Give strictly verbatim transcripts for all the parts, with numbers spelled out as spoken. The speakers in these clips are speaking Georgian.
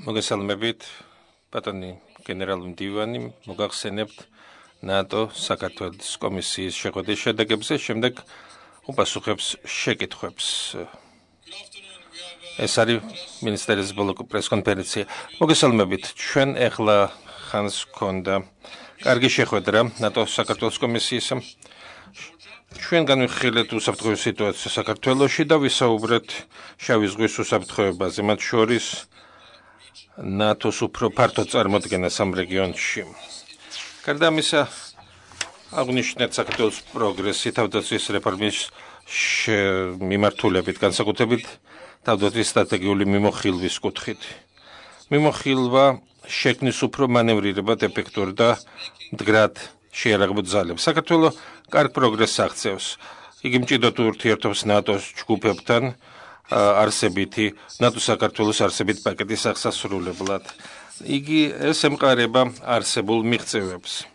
მოგესალმებით, ბატონი გენერალური მდივანი, მოგახსენებთ ნატო საქართველოს კომისიის შეხვედრის შედეგებზე, შემდეგ უპასუხებს შეკითხვებს. ეს არის მინისტერის ბოლო პრესკონფერენცია. მოგესალმებით, ჩვენ ეხლა ხანს გქონდა კარგი შეხვედრა ნატო საქართველოს კომისიის. ჩვენ განვიხილეთ უსაფრთხოების სიტუაცია საქართველოში და ვისაუბრეთ შავი ზღვის უსაფრთხოებაზე, მათ შორის ნატოს უფრო ფართო წარმოდგენას ამ რეგიონში. გარდა ამისა, აღნიშნეთ საქართველოს პროგრესი თავდაცვის რეფორმის მიმართულებით, განსაკუთრებით თავდაცვის სტრატეგიული მიმოხილვის კუთხით. მიმოხილვა შექმნის უფრო მანევრირებად ეფექტურ და მდგრად შეიარაღებულ ძალებს. საქართველოს კარგ პროგრესს აღწევს. იგი მჭიდროდ ურთიერთობს ნატოს ჯგუფებთან არსებითი ნატო საქართველოს არსებით პაკეტის აღსასრულებლად. იგი ეს ემყარება არსებულ მიღწევებს.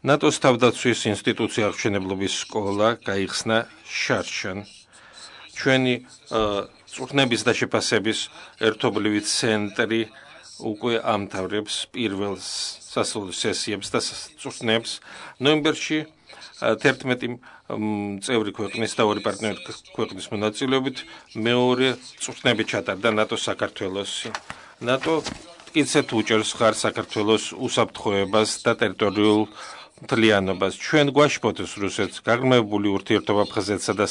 ნატოს თავდაცვის ინსტიტუცია აღმშენებლობის სკოლა გაიხსნა შარშან. ჩვენი წვრთნების და შეფასების ერთობლივი ცენტრი უკვე ამთავრებს პირველ სასწავლო სესიებს და წვრთნებს. ნოემბერში თერთმეტი წევრი ქვეყნის და ორი პარტნიორი ქვეყნის მონაწილეობით მეორე წვრთნები ჩატარდა ნატო საქართველოსი. ნატო მტკიცედ უჭერს ხარ საქართველოს უსაფრთხოებას და ტერიტორიულ მთლიანობას. ჩვენ გვაშფოთებს რუსეთს გაღრმავებული ურთიერთობა აფხაზეთსა და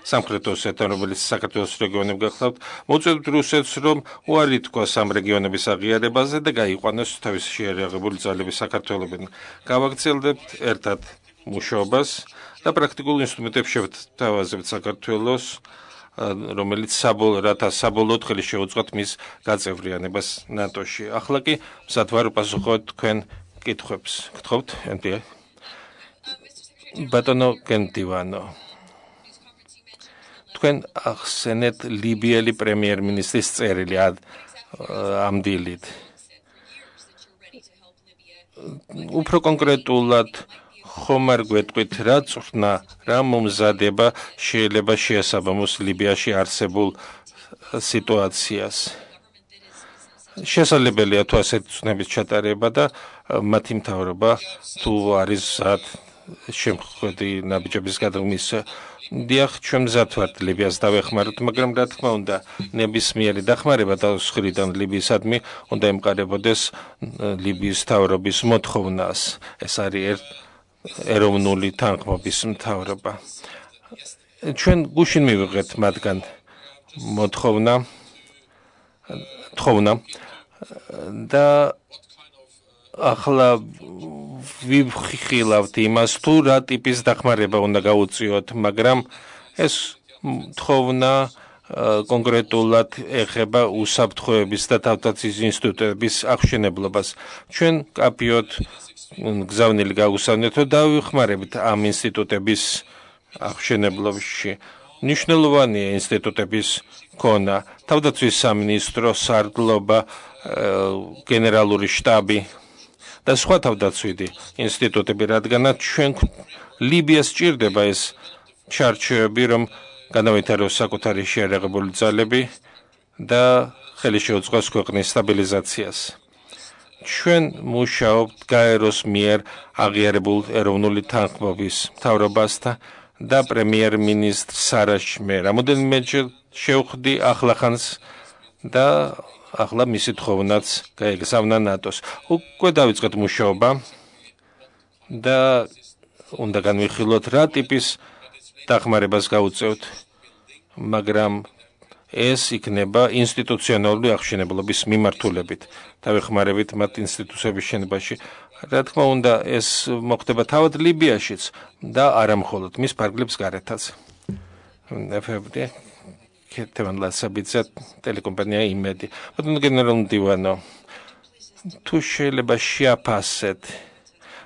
სამხრეთ ოსეთთან, რომელიც საქართველოს რეგიონები გახლავთ, მოწვევთ რუსეთს, რომ უარი თქვას ამ რეგიონების აღიარებაზე და გაიყვანოს თავისი შეიარაღებული ძალები საქართველოსთან. გავაგრძელებთ ერთად მუშაობას და პრაქტიკულ ინსტრუმენტებს შევთავაზებთ საქართველოს, რომელიც რათა საბოლოოდ ხელი შეუწყოთ მის გაწევრიანებას ნატოში. ახლა კი მზად ვარ უპასუხოთ თქვენ კითხვებს. გთხოვთ, ემტია. ბატონო გენდივანო. თქვენ ახსენეთ ლიბიელი პრემიერ-მინისტრის წერილი ამ დილით. უფრო კონკრეტულად ხომ არ გვეტყვით, რა წვრთნა, რა მომზადება შეიძლება შეესაბამოს ლიბიაში არსებულ სიტუაციას. შესაძლებელია თუ ასეთი წვრთნების ჩატარება და მათი მთავრობა თუ არის მზად შემთხვევით ნაბიჯების გადამისა. დიახ, ჩვენ მზად ვართ ლიბიას დავეხმაროთ, მაგრამ რა თქმა უნდა, ნებისმიერი დახმარება თავის მხრიდან ლიბიისადმი უნდა ემყარებოდეს ლიბიის მთავრობის მოთხოვნას. ეს არის ერთ ეროვნული თანხმობის მთავრობა. ჩვენ გუშინ მივიღეთ მათგან მოთხოვნა თხოვნა და ახლა ვიხილავთ იმას, თუ რა ტიპის დახმარება უნდა გაუწიოთ, მაგრამ ეს თხოვნა კონკრეტულად ეხება უსაფრთხოების და თავდაცვის ინსტიტუტების აღშენებლობას. ჩვენ კაფიოდ გზავნილი გავუსავნეთ, რომ დავიხმარებით ამ ინსტიტუტების აღშენებლობაში. მნიშვნელოვანია ინსტიტუტების ქონა, თავდაცვის სამინისტრო, სარდლობა, გენერალური შტაბი და სხვა თავდაცვითი ინსტიტუტები, რადგანაც ჩვენ ლიბიას სჭირდება ეს ჩარჩოები, რომ განავითაროს საკუთარი შეიარაღებული ძალები და ხელი შეუწყოს ქვეყნის სტაბილიზაციას. ჩვენ მუშაობთ გაეროს მიერ აღიარებულ ეროვნული თანხმობის მთავრობასთან და პრემიერ-მინისტრ სარაჩმე. რამოდენიმეჯერ შევხვდი ახლახანს და ახლა მისი თხოვნაც გაეგზავნა ნატოს. უკვე დავიწყეთ მუშაობა და უნდა განვიხილოთ, რა ტიპის დახმარებას გაუწევთ, მაგრამ ეს იქნება ინსტიტუციონალური აღშენებლობის მიმართულებით. დავეხმარებით მათ ინსტიტუციების შენებაში. რა თქმა უნდა, ეს მოხდება თავად ლიბიაშიც და არა მხოლოდ მის ფარგლებს გარეთაც. ეფებდი ქეთევან ლასაბიძე ტელეკომპანია იმედი. ბატონო გენერალური მდივანო, თუ შეიძლება შეაფასეთ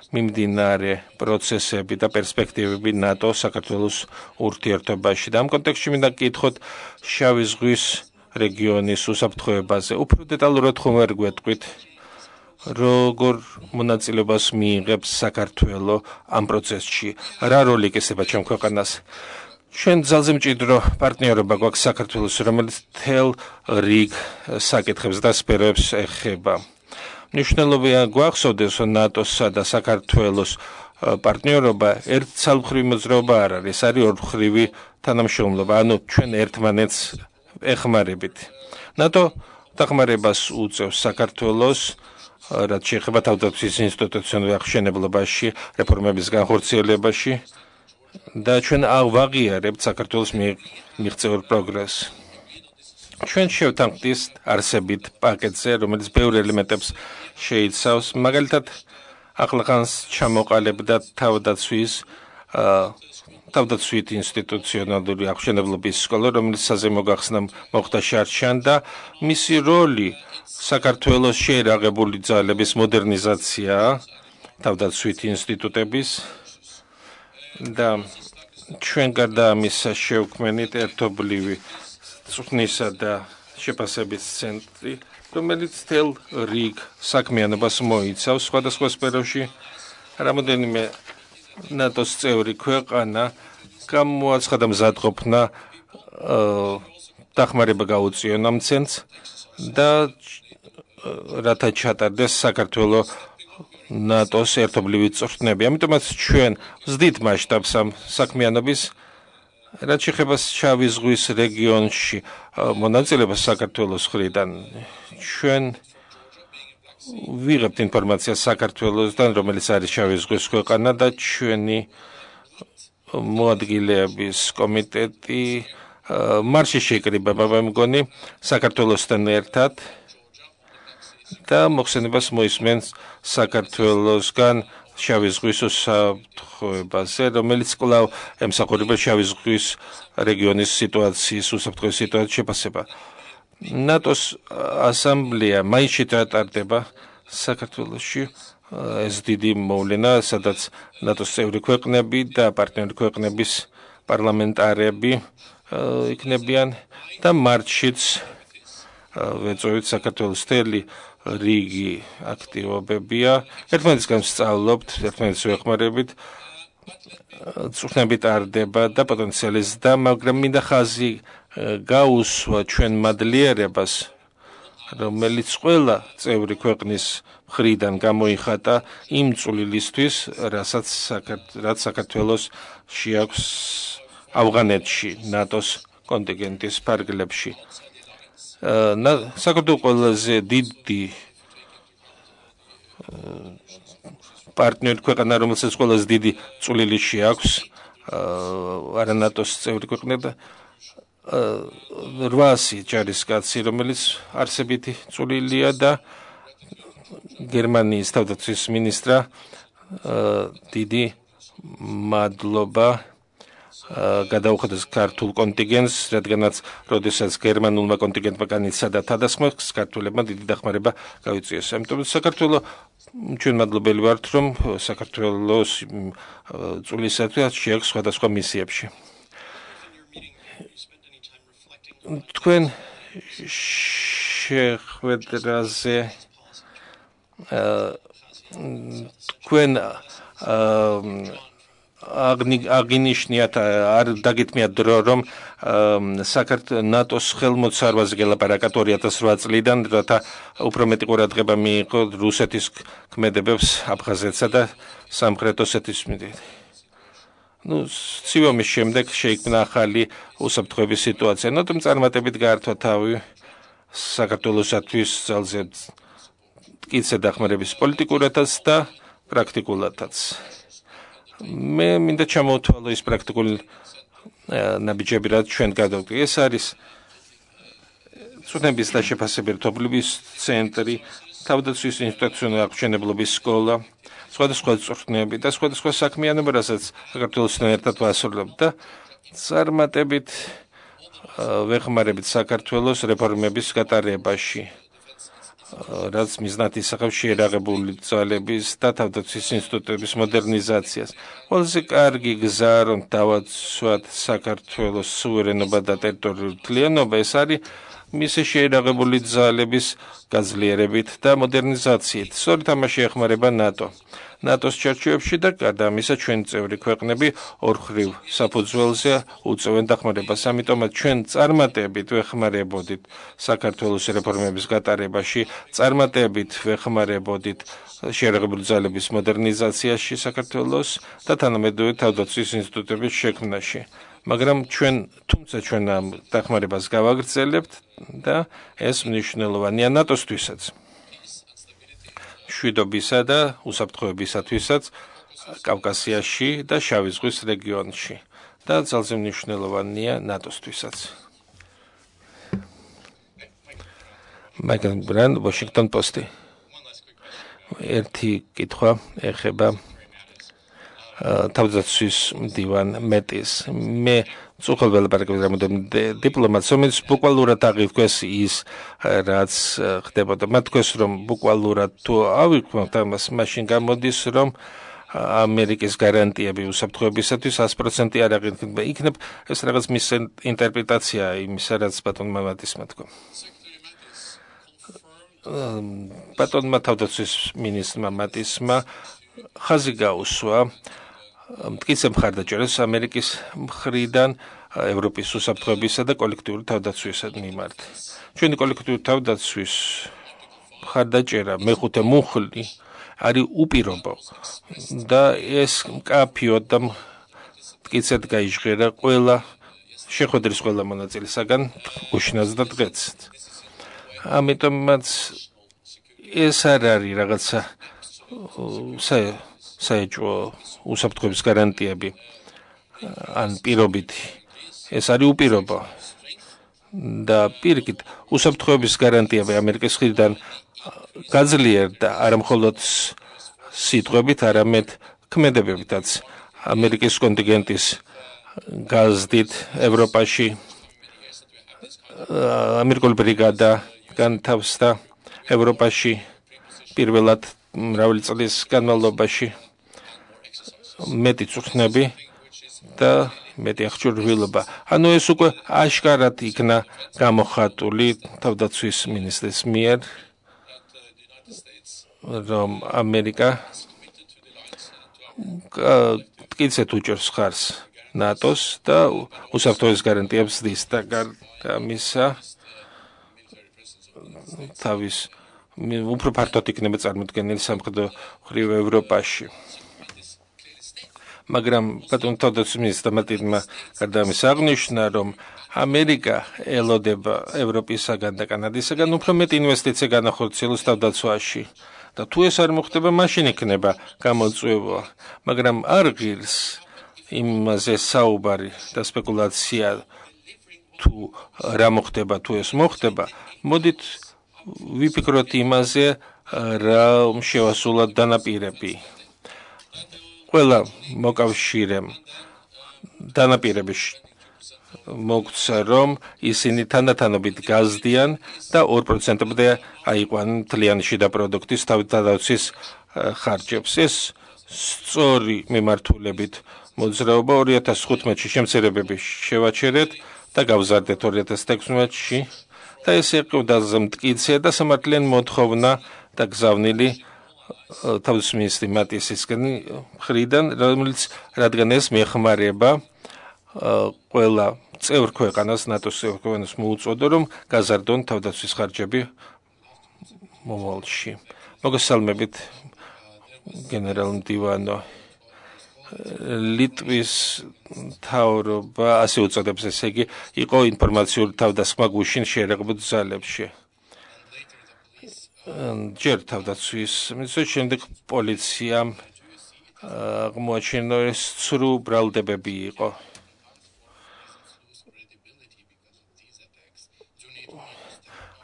მიმდინარე პროცესები და პერსპექტივები ნატო საქართველოს ურთიერთობაში და ამ კონტექსტში მინდა გკითხოთ შავი ზღვის რეგიონის უსაფრთხოებაზე. უფრო დეტალურად ხომ არ გვეტყვით, როგორ მონაწილეობას მიიღებს საქართველო ამ პროცესში, რა როლი ეკისრება ჩემ ქვეყანას. ჩვენ ძალზე მჭიდრო პარტნიორობა გვაქვს საქართველოს, რომელიც მთელ რიგ საკითხებს და სფეროებს ეხება. მნიშვნელოვანია გვახსოვდეს, რომ ნატოსა და საქართველოს პარტნიორობა ერთცალმხრივი მოძრაობა არ არის, ეს არის ორმხრივი თანამშრომლობა, ანუ ჩვენ ერთმანეთს ეხმარებით. ნატო დახმარებას უწევს საქართველოს, რაც შეეხება თავდაცვის ინსტიტუციონალურ აღშენებლობაში, რეფორმების განხორციელებაში და ჩვენ ვაღიარებთ საქართველოს მიღწეულ პროგრესს. ჩვენ შევთანხმდით არსებით პაკეტზე, რომელიც ბევრ ელემენტებს შეიცავს, მაგალითად, ახლახანს ჩამოყალიბდა თავდაცვის თავდაცვით ინსტიტუციონალური აღშენებლობის სკოლა, რომელიც საზეიმო გახსნა მოხდა შარშან და მისი როლი საქართველოს შეერაღებული ძალების მოდერნიზაცია თავდაცვით ინსტიტუტების და ჩვენ გარდა ამისა შევქმნით ერთობლივი წვრთნისა და შეფასების ცენტრი, რომელიც მთელ რიგ საქმიანობას მოიცავს სხვადასხვა სფეროში. რამოდენიმე ნატოს წევრი ქვეყანა გამოაცხადა მზადყოფნა დახმარება გაუწიონ ამ ცენტრს და რათა ჩატარდეს საქართველოს ნატოს ერთობლივი წვრთნები. ამიტომაც ჩვენ ვზდით მასშტაბს ამ საქმიანობის, რაც შეეხება შავი ზღვის რეგიონში მონაწილეობას საქართველოს მხრიდან. ჩვენ ვიღებთ ინფორმაციას საქართველოსთან, რომელიც არის შავი ზღვის ქვეყანა და ჩვენი მოადგილეების კომიტეტი მარში შეკრიბა, მე მგონი, საქართველოსთან ერთად და მოხსენებას მოისმენს საქართველოსგან შავი ზღვის უსაფრთხოებაზე, რომელიც კვლავ ემსახურება შავი ზღვის რეგიონის სიტუაციის უსაფრთხოების სიტუაციის შეფასება. ნატოს ასამბლეა მაისში ჩატარდება საქართველოში, ეს დიდი მოვლენა, სადაც ნატოს წევრი ქვეყნები და პარტნიორი ქვეყნების პარლამენტარები იქნებიან და მარტშიც ვეწოვით საქართველოს მთელი რიგი აქტივობებია. ერთმანეთისგან ვსწავლობთ, ერთმანეთს ვეხმარებით, წვრთნები ტარდება და პოტენციალი ზრდა, მაგრამ მინდა ხაზი გაუსვა ჩვენ მადლიერებას, რომელიც ყველა წევრი ქვეყნის მხრიდან გამოიხატა იმ წვლილისთვის, რასაც რაც საქართველოს შეაქვს ავღანეთში, ნატოს კონტინგენტის ფარგლებში. საქართველოს ყველაზე დიდი პარტნიორი ქვეყანა, რომელსაც ყველაზე დიდი წვლილი შეაქვს არა ნატოს წევრი ქვეყნები, რვაასი ჯარისკაცი, რომელიც არსებითი წვლილია და გერმანიის თავდაცვის მინისტრა დიდი მადლობა გადაუხადეს ქართულ კონტინგენტს, რადგანაც როდესაც გერმანულმა კონტინგენტმა განიცადა თავდასხმა, ქართველებმა დიდი დახმარება გავიწიეს. ამიტომ საქართველოს ჩვენ მადლობელი ვართ, რომ საქართველოს წვლილისათვის შეაქვს სხვადასხვა მისიებში. თქვენ შეხვედრაზე თქვენ აღინიშნიათ, არ დაგითმიათ დრო, რომ ნატოს ხელმოწარვაზე გელაპარაკათ ორი ათას რვა წლიდან, რათა უფრო მეტი ყურადღება მიიღო რუსეთის ქმედებებს აფხაზეთსა და სამხრეთ ოსეთის მიმართ. ნუ ცივომის შემდეგ შეიქმნა ახალი უსაფრთხოების სიტუაცია. ნატომ წარმატებით გაართვა თავი საქართველოსათვის ძალზე მტკიცე დახმარების პოლიტიკურადაც და პრაქტიკულადაც. მე მინდა ჩამოვთვალო ის პრაქტიკული ნაბიჯები, რაც ჩვენ გადავდგეთ. ეს არის წვრთნების და შეფასების ერთობლივი ცენტრი, თავდაცვის ინსტიტუციონალური აღშენებლობის სკოლა, სხვადასხვა წვრთნები და სხვადასხვა საქმიანობა, რასაც საქართველოსთან ერთად ვასრულებთ და წარმატებით ვეხმარებით საქართველოს რეფორმების გატარებაში, რაც მიზნად ისახავს შეერაღებული ძალების და თავდაცვის ინსტიტუტების მოდერნიზაციას. ყველაზე კარგი გზა, რომ დავაცვათ საქართველოს სუვერენობა და ტერიტორიული მთლიანობა, ეს არის მისი შეიარაღებული ძალების გაძლიერებით და მოდერნიზაციით. სწორედ ამას შეეხმარება ნატო. ნატოს ჩარჩოებში და გარდა ამისა ჩვენი წევრი ქვეყნები ორხრივ საფუძველზე უწევენ დახმარებას. ამიტომაც ჩვენ წარმატებით ვეხმარებოდით საქართველოს რეფორმების გატარებაში, წარმატებით ვეხმარებოდით შეიარაღებული ძალების მოდერნიზაციაში საქართველოს და თანამედროვე თავდაცვის ინსტიტუტების შექმნაში. მაგრამ ჩვენ თუმცა ჩვენ ამ დახმარებას გავაგრძელებთ და ეს მნიშვნელოვანია ნატოსთვისაც. შვიდობისა და უსაფრთხოებისათვისაც კავკასიაში და შავი ზღვის რეგიონში და ძალზე მნიშვნელოვანია ნატოსთვისაც. მაიკლ ბრანდ, ვაშინგტონ პოსტი. ერთი კითხვა ეხება თავდაცვის მდივან მეტის. მე წუხელ ველაპარაკობდი რამოდენიმე დიპლომატს, რომელიც ბუკვალურად აღიქვეს ის, რაც ხდებოდა. მათ თქვეს, რომ ბუკვალურად თუ ავიქვამთ ამას, მაშინ გამოდის, რომ ამერიკის გარანტიები უსაფრთხოებისათვის ას პროცენტი არ აღიქმნება. იქნებ ეს რაღაც მის ინტერპრეტაცია იმისა, რაც ბატონმა მატისმა თქვა. ბატონმა თავდაცვის მინისტრმა მატისმა ხაზი გაუსვა მტკიცე მხარდაჭერას ამერიკის მხრიდან ევროპის უსაფრთხოებისა და კოლექტიური თავდაცვის მიმართ. ჩვენი კოლექტიური თავდაცვის მხარდაჭერა მეხუთე მუხლი არის უპირობო და ეს მკაფიოდ და მტკიცედ გაიჟღერა ყველა შეხვედრის ყველა მონაწილისაგან გუშინაც და დღეც. ამიტომაც ეს არ არის რაღაცა საეჭვო უსაფრთხოების გარანტიები ან პირობითი. ეს არის უპირობო და პირიქით უსაფრთხოების გარანტიები ამერიკის მხრიდან გაძლიერდა არა მხოლოდ სიტყვებით, არამედ ქმედებებითაც. ამერიკის კონტინგენტის გაზდით ევროპაში ამერიკული ბრიგადა განთავსდა ევროპაში პირველად მრავალი წლის განმავლობაში მეტი წვრთნები და მეტი აღჭურვილობა. ანუ ეს უკვე აშკარად იქნა გამოხატული თავდაცვის მინისტრის მიერ, რომ ამერიკა მტკიცედ უჭერს ხარს ნატოს და უსაფრთხოების გარანტიებს დის და გარდა ამისა თავის უფრო ფართოდ იქნება წარმოდგენილი სამხედრო მხრივ ევროპაში. მაგრამ ბატონ თავდაცვის მინისტრმა მატისმა გარდა ამისა აღნიშნა, რომ ამერიკა ელოდება ევროპისაგან და კანადისაგან უფრო მეტ ინვესტიცია განახორციელოს თავდაცვაში. და თუ ეს არ მოხდება, მაშინ იქნება გამოწვევა. მაგრამ არ ღირს იმაზე საუბარი და სპეკულაცია თუ რა მოხდება, თუ ეს მოხდება. მოდით ვიფიქროთ იმაზე, რა შევასრულოთ დანაპირები. ყველა მოკავშირემ დანაპირები მოგცა, რომ ისინი თანდათანობით გაზდიან და ორ პროცენტამდე აიყვანენ მთლიანი შიდა პროდუქტის თავდაცვის ხარჯებს. ეს სწორი მიმართულებით მოძრაობა ორი ათას თხუთმეტში შემცირებები შევაჩერეთ და გავზარდეთ ორი ათას თექვსმეტში და ეს იყო მტკიცე და სამართლიანი მოთხოვნა და გზავნილი თავდაცვის მინისტრი მატისისგან მხრიდან, რომელიც რადგან ეს მიეხმარება ყველა წევრ ქვეყანას, ნატოს წევრ ქვეყანას მოუწოდა, რომ გაზარდონ თავდაცვის ხარჯები მომავალში. მოგესალმებით, გენერალ მდივანო. ლიტვის მთავრობა ასე უწოდებს, ესე იგი, იყო ინფორმაციული თავდასხმა გუშინ შეიარაღებულ ძალებში. ჯერ თავდაცვის მინისტრის შემდეგ პოლიციამ აღმოაჩინა, ეს ცრუ ბრალდებები იყო.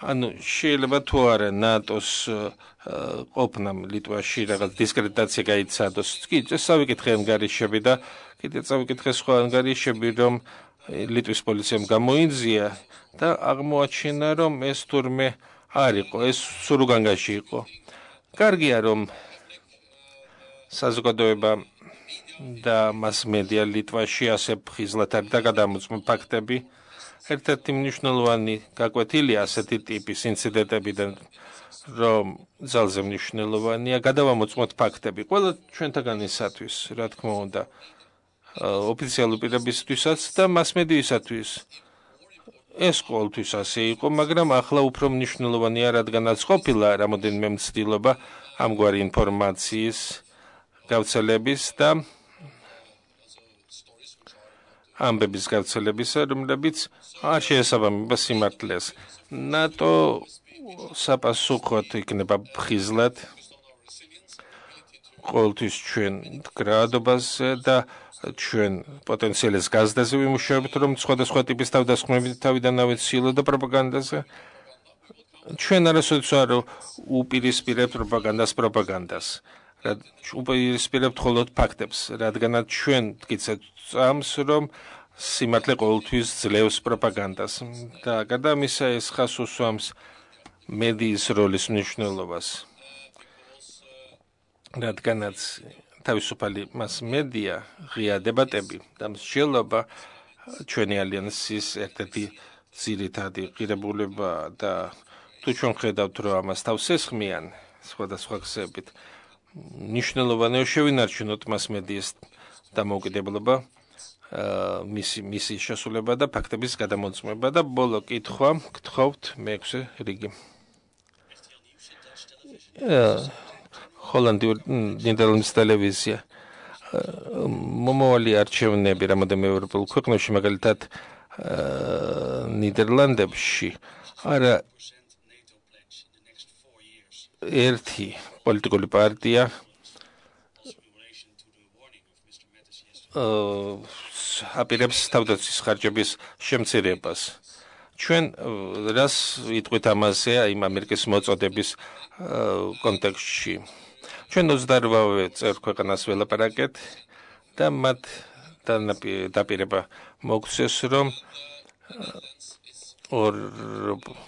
ანუ შეიძლება თუ არა ნატოს ყოფნამ ლიტვაში რაღაც დისკრედიტაცია გაიცადოს. კი, ეს წავიკითხე ანგარიშები და კიდე წავიკითხე სხვა ანგარიშები, რომ ლიტვის პოლიციამ გამოიძია და აღმოაჩინა, რომ ეს თურმე არ იყო, ეს სრულ განგაში იყო. კარგია, რომ საზოგადოება და მასმედია ლიტვაში ასე ფხიზლად არის და გადამოწმ ფაქტები ერთ-ერთი მნიშვნელოვანი გაკვეთილია ასეთი ტიპის ინციდენტებიდან, რომ ძალზე მნიშვნელოვანია გადავამოწმოთ ფაქტები ყველა ჩვენთაგანისათვის, რა თქმა უნდა, ოფიციალური პირებისთვისაც და მასმედიისათვის. ეს ყოველთვის ასე იყო, მაგრამ ახლა უფრო მნიშვნელოვანია, რადგანაც ყოფილა რამოდენიმე მცდელობა ამგვარი ინფორმაციის გავრცელების და ამბების გავრცელებისა, რომლებიც არ შეესაბამება სიმართლეს. ნატო საპასუხოდ იქნება ხიზლად ყოველთვის ჩვენ გრადობაზე და ჩვენ პოტენციალის გაზდაზე ვიმუშავებთ, რომ სხვადასხვა ტიპის თავდასხმებით თავიდან ავეციელოთ და პროპაგანდაზე. ჩვენ არასოდეს არ უპირისპირებთ პროპაგანდას პროპაგანდას. უპირისპირებთ მხოლოდ ფაქტებს, რადგანაც ჩვენ მტკიცებთ წამს, რომ სიმართლე ყოველთვის ძლევს პროპაგანდას და გარდა ამისა ეს ხაზს უსვამს მედიის როლის მნიშვნელობას. რადგანაც თავისუფალი მასმედია, ღია დებატები და მსჯელობა ჩვენი ალიანსის ერთ-ერთი ძირითადი ღირებულება და თუ ჩვენ ხედავთ, რომ ამას თავს ესხმიან სხვადასხვა გზებით, მნიშვნელოვანია შევინარჩუნოთ მასმედიის დამოუკიდებლობა, მისი მისი შესრულება და ფაქტების გადამოწმება და ბოლო კითხვა გთხოვთ მეექვსე რიგი. ჰოლანდიური ნიდერლანდის ტელევიზია მომავალი არჩევნები რამოდენიმე ევროპულ ქვეყნებში, მაგალითად ნიდერლანდებში არა ერთი პოლიტიკური პარტია აპირებს თავდაცვის ხარჯების შემცირებას. ჩვენ რას ვიტყვით ამაზე იმ ამერიკის მოწოდების კონტექსტში. ჩვენ ოცდაოთხ წევრ ქვეყანას ველაპარაკეთ და მათ დაპირება მოგცეს, რომ ორ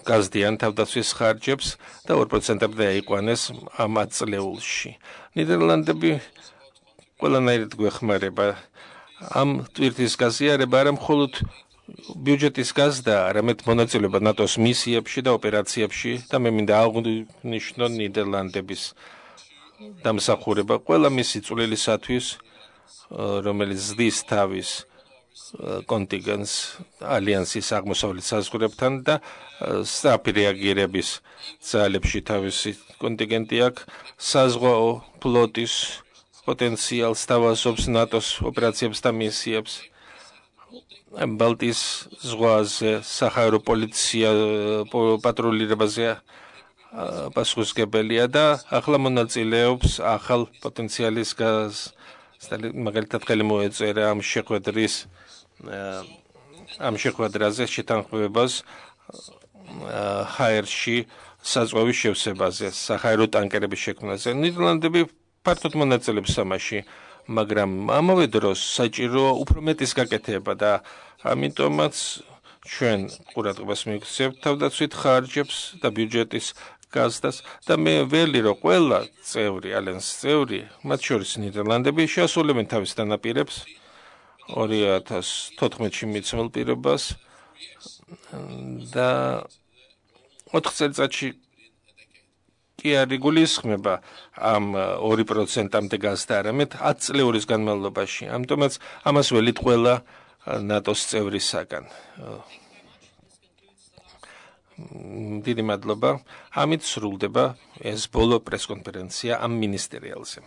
გაზდიან თავდაცვის ხარჯებს და ორ პროცენტამდე აიყვანეს ამ ათწლეულში. ნიდერლანდები ყველანაირად გვეხმარება ამ ტვირთის გაზიარება არა მხოლოდ ბიუჯეტის გაზდა, არამედ მონაწილეობა ნატოს მისიებში და ოპერაციებში და მე მინდა აღვნიშნო ნიდერლანდების დამსახურება ყველა მისი წვლილისათვის, რომელიც ზრდის თავის კონტინგენტს ალიანსის აღმოსავლეთ საზღვრებთან და სწრაფი რეაგირების ძალებში თავისი კონტინგენტი აქვს, საზღვაო ფლოტის პოტენციალს თავაზობს ნატოს ოპერაციებს და მისიებს. ბალტიის ზღვაზე საჰაერო პოლიცია პატრულირებაზე პასუხისმგებელია და ახლა მონაწილეობს ახალ პოტენციალის გაზ მაგალითად ხელი მოეწერა ამ შეხვედრის ამ შეხვედრაზე შეთანხმებას ჰაერში საზღვავის შევსებაზე, საჰაერო ტანკერების შექმნაზე. ნიდერლანდები ფართოდ მონაწილეობს ამაში, მაგრამ ამავე დროს საჭიროა უფრო მეტის გაკეთება და ამიტომაც ჩვენ ყურადღებას მივქცევთ თავდაცვით ხარჯებს და ბიუჯეტის გაზდას და მე ველი რომ ყველა წევრი, ალიანსის წევრი, მათ შორის ნიდერლანდები შეასრულებენ თავის დანაპირებს ორი ათას თოთხმეტში მიცემულ პირობას და ოთხ წელიწადში კი არ იგულისხმება ამ ორი პროცენტამდე გაზდა, არამედ ათ წლეულის განმავლობაში. ამიტომაც ამას ველით ყველა ნატოს წევრისაგან. დიდი მადლობა. ამით სრულდება ეს ბოლო პრესკონფერენცია ამ მინისტერიალზე.